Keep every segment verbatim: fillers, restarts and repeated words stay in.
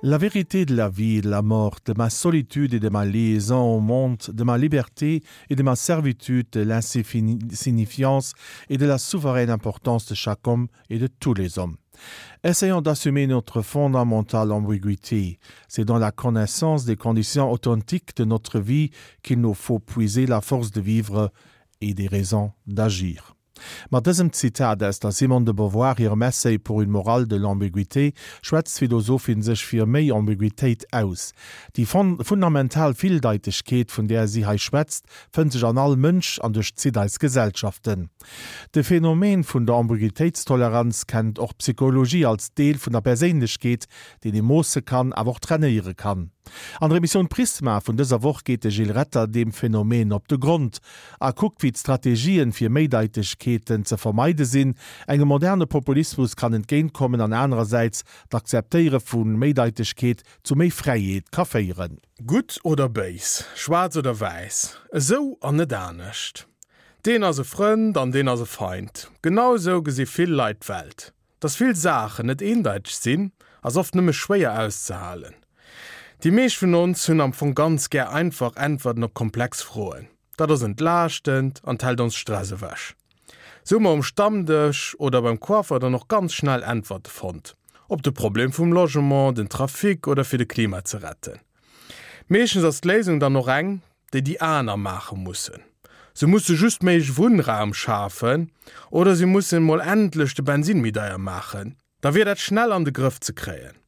La vérité de la vie et de la mort, de ma solitude et de ma liaison au monde, de ma liberté et de ma servitude, de l'insignifiance et de la souveraine importance de chaque homme et de tous les hommes. Essayons d'assumer notre fondamentale ambiguïté. C'est dans la connaissance des conditions authentiques de notre vie qu'il nous faut puiser la force de vivre et des raisons d'agir. Mat dësem Zitat aus der Simone de Beauvoir hirem Essay Pour une morale de l'ambiguïté schwätzt d'Philosophin sech fir méi Ambiguitéit aus. Déi fundamental Villdeitegkeet, vun där si hei schwätzt, fënnt sech an all Mënsch an duerchzitt eis Gesellschaften. De Phänomen vun der Ambiguitéitstoleranz kennt och d'Psychologie als Deel vun der Perséinlechkeet, deen ee moosse kann, awer och trainéiere kann. An der Emissioun Prisma vun dëser Woch geet de Gilles Retter deem Phänomen op de Grond a kuckt, wéi d'Strategien, fir Méideitegkeeten ze vermeide sinn, engem moderne Populismus kann entgéintkommen an anerersäits d'Akzeptéiere vu Méideitegkeet zu méi Fräiheet ka féieren. Gutt oder béis, schwaarz oder wäiss, esou an net anescht. Deen ass e Frënd an deen ass e Feind. Genau esou gesi vill Leit d'Welt. Dass vill Saachen net eendeiteg sinn, ass oft nëmme schwéier auszehalen. Déi meescht vun ons hunn am Fong ganz gär einfach Äntwerten op komplex Froen. Dat ass entlaaschtend an hellt ons Stress ewech. Sou hu mer um Stammdësch oder beim Coiffer dann och ganz schnell Äntwerte fonnt. Op de Problem vum Logement, den Trafic oder fir de Klima ze retten. Meeschtens ass d'Léisung dann och eng, déi déi aner maache mussen. Se musse just méi Wunnraum schafen oder se mussen mol endlech de Bensin méi deier maachen. Da wier dat schnell an de Grëff ze kréien.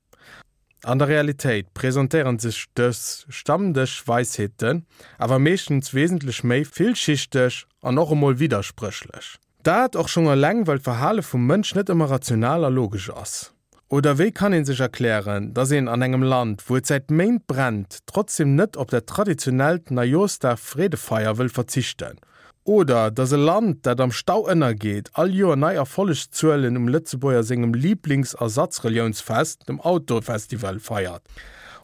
An der Realitéit presentéieren sech dës Stammdësch-Weisheeten awer meeschtens wesentlech méi villschichteg an och emol widderspréchlech. Dat och schonn eleng, well d'Verhale vum Mënsch net ëmmer rational a logesch ass. Oder wéi kann ee sech erklären, dass een an engem Land, wou et säit Méint brennt, trotzdem net op dat traditionellt Neijooschdag-Freedefeier wëll verzichten? Oder dass e Land, dat am Stau ënnergeet, all Joer nei Erfollegszuelen um Lëtzebuerger sengem Liiblingsersatzreliounsfest, dem Autofestival, feiert?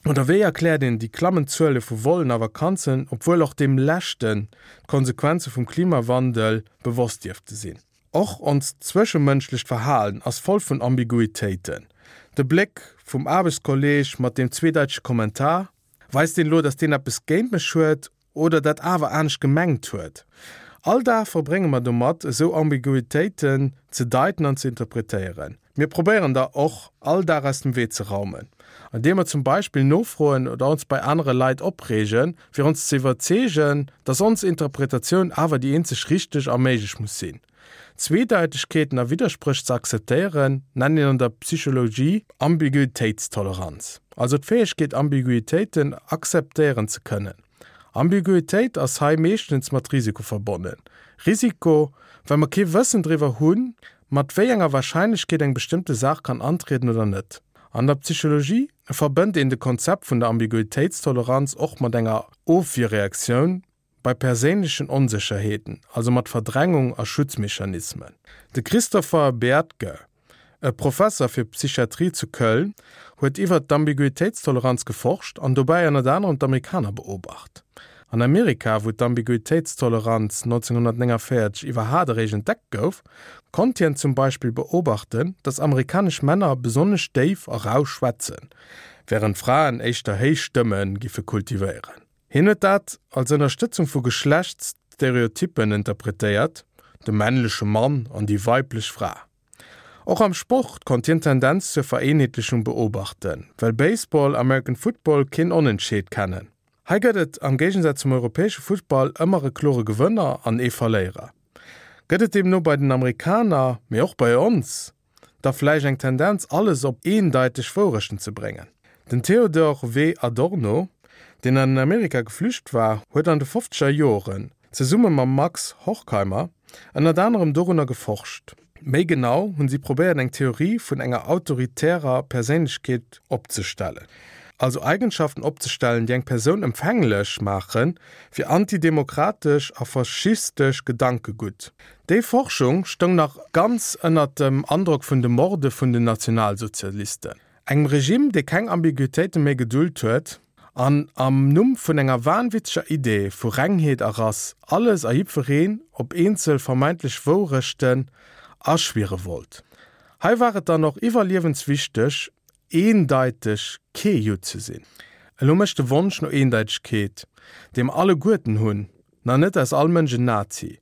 Oder wéi erkläert een déi klammend Zuele vu Vollen a Vakanzen, obwuel och deem leschten d'Konsequenze vum Klimawandel bewosst dierfte sinn? Och onst zwëschemënschlecht Verhalen ass voll vun Ambiguitéiten. De Bléck vum Aarbechtskolleeg mat deem zweedeitege Kommentar, Weist deen elo, dass deen eppes géint mech huet oder dat awer anescht gemengt huet? All Dag verbrénge mer domat, esou Ambiguitéiten ze deiten an ze interpretéieren. Mir probéieren der och all Dag aus dem Wee ze raumen, andeem mer zum Beispill nofroen oder ons bei anere Leit opreegen, fir ons ze iwwerzeegen, dass ons Interpretatioun awer déi eenzeg richteg a méiglech muss sinn. Zweedeitegkeeten a Widderspréch ze akzeptéieren, nennt een an der Psychologie Ambiguitéitstoleranz, also d'Fäegkeet Ambiguitéiten akzeptéieren ze kënnen. Ambiguitéit ass hei meeschtens mat Risiko verbonnen. Risiko, well mer kee Wëssen driwwer hunn, mat wéi enger Warscheinlechkeet eng bestëmmte Saach kann antrieden oder net. An der Psychologie verbënnt een de Konzept vun der Ambiguitéitstoleranz och mat enger Ofwierreaktioun bei perséinlechen Onsécherheeten, also mat Verdrängung a Schutzmechanismen. De Christopher Bertke, e Professer fir Psychiatrie zu Köln, huet iwwert d'Ambiguitéitstoleranz geforscht an dobäi ënnert anerem d'Amerikaner beobacht. An Amerika, wou d'Ambiguitéitstoleranz nonzénghunnertnénganvéierzeg iwwerhaat eréischt entdeckt gouf, konnt hien zum Beispill beobachten, dass amerikanesch Männer besonnesch déif a rau schwätzen, wärend Fraen éischter héich Stëmme giffe kultivéieren. Hien huet dat als Ënnerstëtzung vu Geschlechtsstereotyppen interpretéiert, de männleche Mann an déi weiblech Fra. Och am Sport konnt hien d'Tendenz zur Vereenheetlechung beobachten, well Baseball, American Football keen Onentscheed kennen. Hei gëtt et, am Géigensaz zum europäesche Futtball, ëmmer e klore Gewënner an ee Verléierer. Gëtt et deemno bei den Amerikaner, mee och bei ons, da vläicht eng Tendenz alles op eendeiteg Wourechten ze bréngen? Den Theodor W. Adorno, deen an Amerika geflücht war, huet an de fofzeger Joren, zesumme mam Max Horkheimer, ënnert anerem dorunner geforscht. Méi genau hunn si probéiert eng Theorie vun enger autoritärer Perséinlechkeet opzestellen. Also Eigenschaften opzestellen, déi eng Persoun empfänglech maache fir antidemokratesch a faschistesch Gedankegutt. Déi Forschung stoung nach ganz ënnert dem Androck vun de Morde vun den Nationalsozialisten, engem Regime, dee keng Ambiguitéite méi gedult huet an am Numm vun enger wahnwitzeger Idee vu Rengheet a Rass alles a jiddwereen op eenzel vermeintlech Wourechten aschwiere wollt. Hei war et dann och iwwerliewenswichteg, eendeiteg kee Judd ze sinn. Elo mécht de Wonsch no Eendeitegkeet, dee mer alleguerten hunn, nach net aus all Mënsch en Nazi.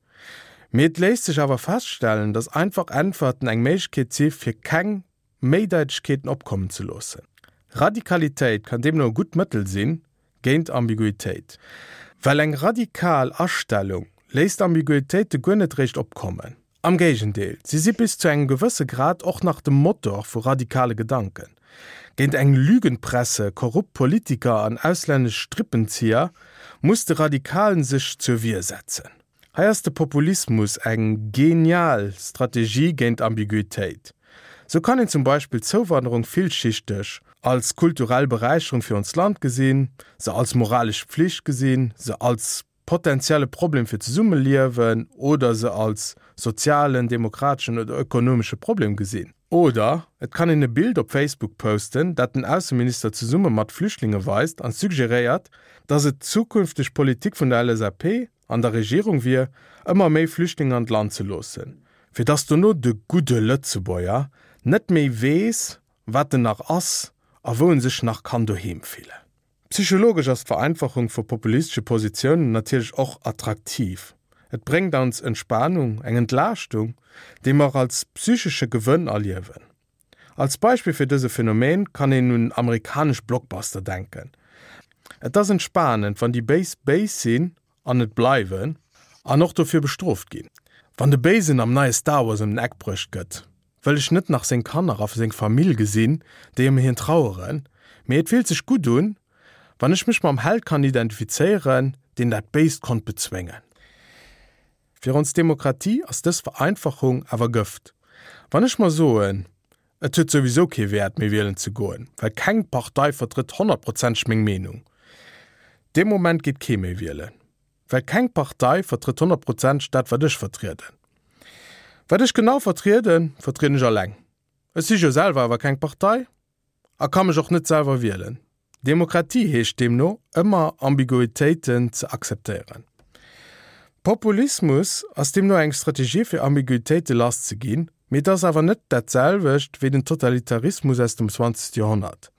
Mee et léisst sech awer feststellen, datt einfach Äntwerten eng Méiglechkeet si fir keng Méideitegkeeten opkommen ze loossen. Radikalitéit kann deemno e gutt Mëttel sinn géint Ambiguitéit. Well eng radikal Astellung léisst Ambiguitéite guer net réischt opkommen. Am Géigendeel, si si bis zu engem gewësse Grad och nach de Motor vu radikale Gedanken. Géint eng Lügenpresse, korrupt Politiker an auslännesch Strippenzieher muss de Radikalen sech zur Wier setzen. Hei ass de Populismus eng genial Strategie géint Ambiguitéit. Sou kann een zum Beispill d'Zouwanderung villschichteg als kulturell Beräicherung fir onst Land gesinn, se als moralesch Pflicht gesinn, se als potenzielle Problem fir d'Zesummeliewen oder se als sozialen, demokrateschen oder ökonomesche Problem gesinn. Oder et kann een e Bild op Facebook posten, dat den Ausseminister zesumme mat Flüchtlinge weist an suggeréiert, dass et d'zukünfteg Politik vun der LSAP an der Regierung wier, ëmmer méi Flüchtlinge an d'Land ze loossen, fir dass dono de gudde Lëtzebuerger net méi weess, wat en nach ass a wou en sech nach kann doheem fillen. Psychologesch ass d'Vereinfachung vu populistesche Positiounen natierlech och attraktiv. Et bréngt ons Entspanung, eng Entlaaschtung, déi mer als psychesche Gewënn erliewen. Als Beispill fir dëse Phänomen kann een un amerikanesch Blockbuster denken. Et ass entspanend, wann déi Béis béis sinn an et bleiwen an och dofir bestrooft ginn. Wann de Béisen am neie Star Wars ëm den Eck bruecht gëtt, wëll ech net nach seng Kanner a seng Famill gesinn, déi ëm hien traueren, mee et fillt sech gutt un, wann ech mech mam Held kann identifizéieren, deen dat Béist konnt bezwéngen. Fir ons Demokratie ass dës Vereinfachung awer Gëft. Wann ech mer soen, et huet souwisou kee Wäert méi wielen ze goen, well keng Partei vertrëtt honnertprozenteg meng Meenung, dee Moment geet kee méi wielen. Well keng Partei vertrëtt honnertprozenteg dat wat ech vertrieden. Wat ech genau vertrieden, vertrieden ech alleng. Ech si jo selwer awer keng Partei a ka mech och net selwer wielen. Demokratie heescht deemno, ëmmer Ambiguitéiten ze akzeptéieren. Populismus ass deemno eng Strategie fir Ambiguitéite lass ze ginn, mee et ass awer net dat selwecht wéi den Totalitarismus aus dem zwanzegste Joerhonnert.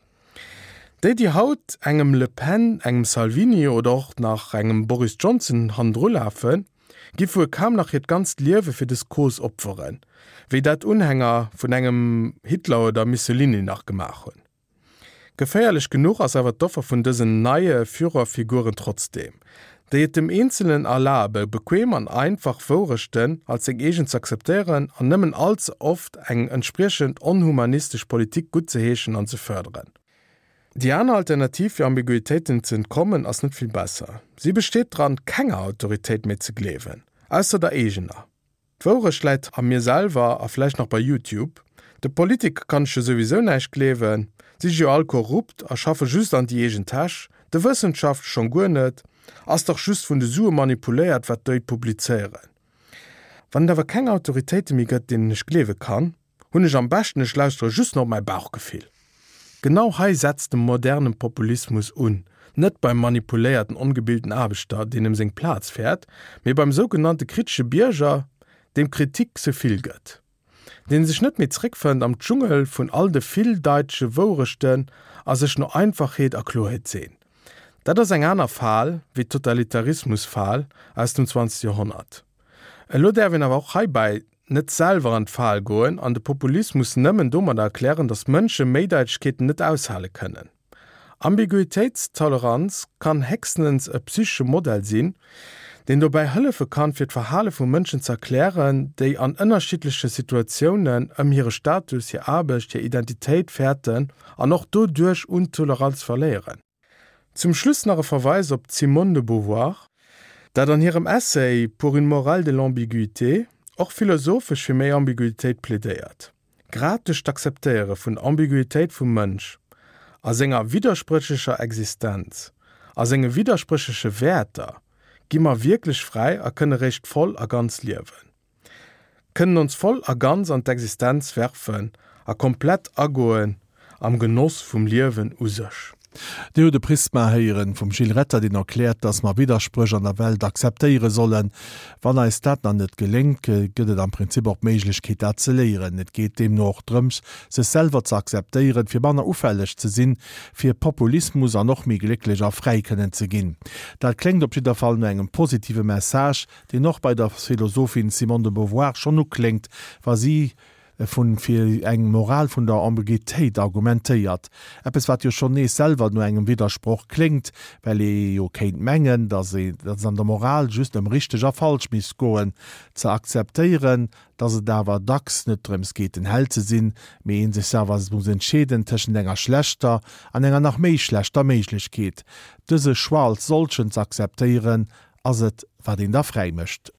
Déi déi haut engem Le Pen, engem Salvini oder och nach engem Boris Johnson hannendru lafen, giff wuel kaum nach hiert ganzt Liewe fir dës Cause opferen, wéi dat Unhänger vun engem Hitler oder Mussolini nach gemaach hunn. Geféierlech genuch ass awer d'Offer vun dësen neie Führerfiguren trotzdeem, déi et dem Eenzelen erlabe bequem an einfach Wourechten als seng eegen z'akzeptéieren an nëmmen all ze oft eng entspriechend onhumanistesch Politik guttzeheeschen an ze fërderen. Déi aner Alternativ fir Ambiguitéiten ze entkommen ass net vill besser. Si besteet dran, kenger Autoritéit méi ze gleewen, ausser der eegener. D'Wourecht läit a mir selwer a vläicht nach bei YouTube. De Politiker kann ech jo souwisou näischt gleewen, si si jo all korrupt a schaffe just an déi eegen Täsch, de Wëssenschaftler schonn guer net, ass dach just vun de Sue manipuléiert wat déi publizéieren. Wann et awer keng Autoritéite méi gëtt deenen ech gleewe kann, hunn ech am beschten ech lauschtere just nach op mäi Bauchgefill. Genau hei setzt de moderne Populismus un, net beim manipuléierten ongebilten Aarbechter deen ëm seng Plaz fäert, mee beim sougenannte kritesche Bierger, deem Kritik ze vill gëtt, deen sech net méi zréckfënnt am Dschungel vun all de villdeitege Wourechten a sech no Einfachheet a Kloerheet seent. Dat ass eng aner Fal wéi d'Totalitarismus-Fal aus dem zwanzegste Joerhonnert. Elo däerf een awer och heibäi net selwer an d'Fal goen an de Populismus nëmmen domadder erklären, datt Mënsche Méideitegkeeten net aushale kënnen. Ambiguitéitstoleranz kann héchstens e psychesche Modell sinn, deen dobäi hëllefe kann, fir d'Verhale vu Mënschen ze erklären, déi an ënnerschiddleche Situatiounen ëm hire Status, hir Aarbecht, hir Identitéit fäerten an och doduerch un Toleranz verléieren. Zum Schluss nach e Verweis op d'Simone de Beauvoir, dat an hirem Essay Pour une morale de l'ambiguïté och philosophesch fir méi Ambiguitéit plädéiert. Grad duerch d'Akzeptéiere vun Ambiguitéit vum Mënsch a senger widderspréchlecher Existenz a senge widderspréchleche Wäerter gi mer wierklech fräi a kënne réischt voll a ganz liewen. Kënnen ons voll a ganz an d'Existenz werfen a komplett agoen am Genoss vum Liewen u sech. Dir hutt de Prisma héieren vum Gilles Retter, deen erkläert, dass mer Widderspréch an der Welt akzeptéiere sollen. Wann eis dat nach net geléngt, gëtt et am Prinzip och d'Méiglechkeet, dat ze léieren. Et geet deemno och drëms, sech selwer ze akzeptéieren, fir manner ufälleg ze sinn, fir Populismus an och méi glécklech a fräi kënnen ze ginn. Dat kléngt op jidder Fall no engem positive Message, deen och bei der Philosophin Simone de Beauvoir schonn ukléngt, wa si vun fir eng Moral vun der Ambiguitéit argumentéiert. Eppes wat jo schonn nees selwer no engem Widdersproch kléngt, well ee jo kéint mengen, datt ee datt et an der Moral just ëm richteg a falsch misst goen. Ze akzeptéieren, datt et awer dacks net drëms geet den Held ze sinn, mee ee sech selwer muss entscheeden tëschent enger schlechter an enger nach méi schlechter Méiglechkeet. Dëse Choix als solchen ze akzeptéieren, ass et wat een da fräi mécht.